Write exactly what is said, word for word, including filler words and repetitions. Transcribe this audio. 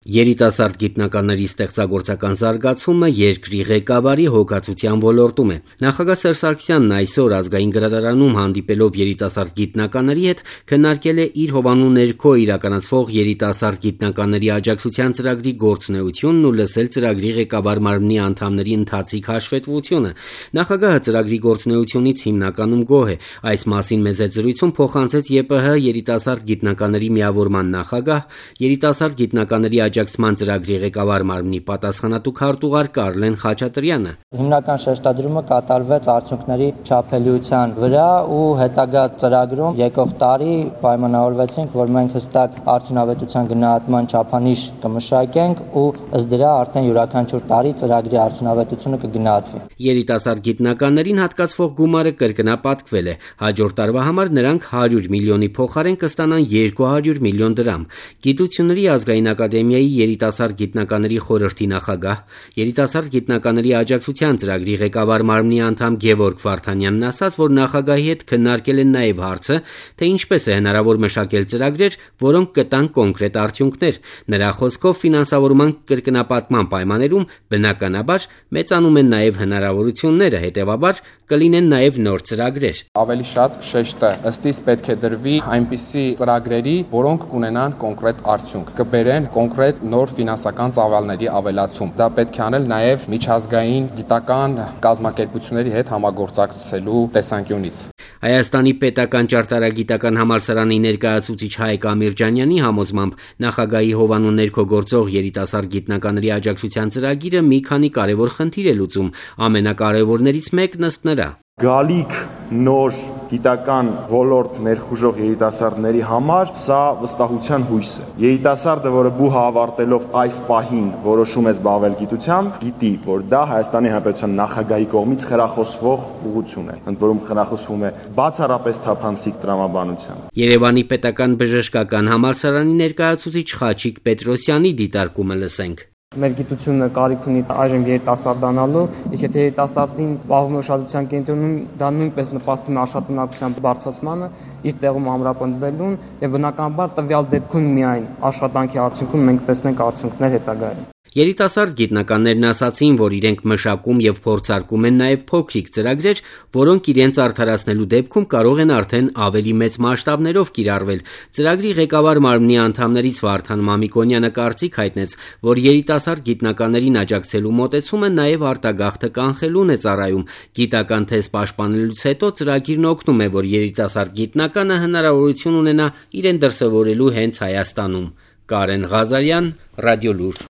Երիտասարդ գիտնականների ստեղծագործական զարգացումը երկրի ղեկավարի հոգացության ոլորտում է։ Նախագահ Սերժ Սարգսյանն այսօր Ազգային գրադարանում հանդիպելով երիտասարդ գիտնականների հետ քննարկել է իր հովանու ներքո իրականացվող երիտասարդ գիտնականների աջակցության ծրագրի գործունեությունն ու լսել ծրագրի ղեկավար մարմնի անդամների ընթացիկ հաշվետվությունը։ Նախագահը ծրագրի գործունեությունից հիմնականում գոհ է։ Այս մասին մեծ զրույցում փոխանցեց ԵՊՀ երիտասարդ գիտնականների միավորման նախագահ, երիտասարդ գիտնականների աջակցման ծրագրի ղեկավար մարմնի պատասխանատու քարտուղար Կարլեն Խաչատրյանը։ Հիմնական շեշտադրումը կատարվեց արդյունքների չափելիության վրա ու հետագա ծրագրում եկող տարի պայմանավորվեցինք, որ մենք հստակ արդյունավետության գնահատման չափանիշ կմշակենք ու ըստ դրա արդեն յուրաքանչյուր տարի ծրագրի արդյունավետությունը կգնահատվի։ Երիտասարդ գիտնականներին հատկացվող գումարը կրկնապատկվել է։ Հաջորդ տարվա համար նրանք հարյուր միլիոնի փոխարեն կստանան երկու հարյուր միլիոն դրամ։ Գիտությունների ազգային ակադեմիայի երիտասարդ գիտնականների խորհրդի նախագահ, երիտասարդ գիտնականների աջակցության ծրագրի ղեկավար մարմնի անդամ Գևորգ Վարդանյանն ասաց, որ նախագահի հետ քննարկել են նաև հարցը, թե ինչպես է հնարավոր մշակել ծրագրեր, որոնք կտան կոնկրետ արդյունքներ։ Նրա խոսքով ֆինանսավորման կրկնապատկման պայմաններում բնականաբար մեծանում են նաև հնարավորությունները, հետևաբար կլինեն նաև նոր ծրագրեր։ Ավելի շատ շեշտը ըստ իս պետք է դրվի այնպիսի ծրագրերի, որոնք կունենան կոնկրետ արդյունք, կբերեն կոնկրետ նոր ֆինանսական ծավալների ավելացում։ Դա պետք է անել նաև միջազգային գիտական կազմակերպությունների հետ համագործակցելու տեսանկյունից։ Հայաստանի պետական ճարտարագիտական համալսարանի ներկայացուցիչ Հայկ Ամիրջանյանի համոզմամբ նախագահի հովանու ներքո գործող երիտասարդ գիտնականների աջակցության ծրագիրը մի քանի կարևոր խնդիր է լուծում, ամենակարևորներից մեկն ըստ նրա գալիք նոր գիտական ոլորտ ներխուժող երիտասարդների համար սա վստահության հույս է։ Երիտասարդը, որը բուհը ավարտելով այս պահին որոշում է զբաղվել գիտությամբ, գիտի, որ դա Հայաստանի Հանրապետության նախագահի կողմից խրախուսվող ուղղություն է, ընդ որում խրախուսվում է բացառապես թափանցիկ տրամաբանությամբ։ Երևանի պետական բժշկական համալսարանի ներկայացուցիչ Խաչիկ Պետրոսյանի դիտարկումը լսենք։ Մեր գիտությունը կարիք ունի այժմ երիտասարդանալու, իսկ եթե երիտասարդին պահվում է ուշադրության կենտրոնում, դա նույնպես նպաստում է աշխատունակության բարձրացմանը, իր տեղում ամրապնդվելուն եւ բնականաբար տվյալ դեպքում միայն աշխատանքի արդյունքում մենք տեսնենք արդյունքներ հետագայում։ Երիտասարդ գիտնականներն ասացին, որ իրենք մշակում եւ փորձարկում են նաեւ փոքրիկ ծրագրեր, որոնք իրենց արդարացնելու դեպքում կարող են արդեն ավելի մեծ մասշտաբներով կիրառվել։ Ծրագրի ղեկավար մարմնի անդամներից Վարդան Մամիկոնյանը կարծիք հայտնեց, որ երիտասարդ գիտնականներին աջակցելու մոտեցումը նաեւ արտագաղթը կանխելուն է ծառայում։ Գիտական թեզ պաշտպանելուց հետո ծրագիրն օգնում է, որ երիտասարդ գիտնականը հնարավորություն ունենա իրեն դրսևորելու հենց Հայաստանում։ Կարեն Ղազարյան, Ռադիոլուր։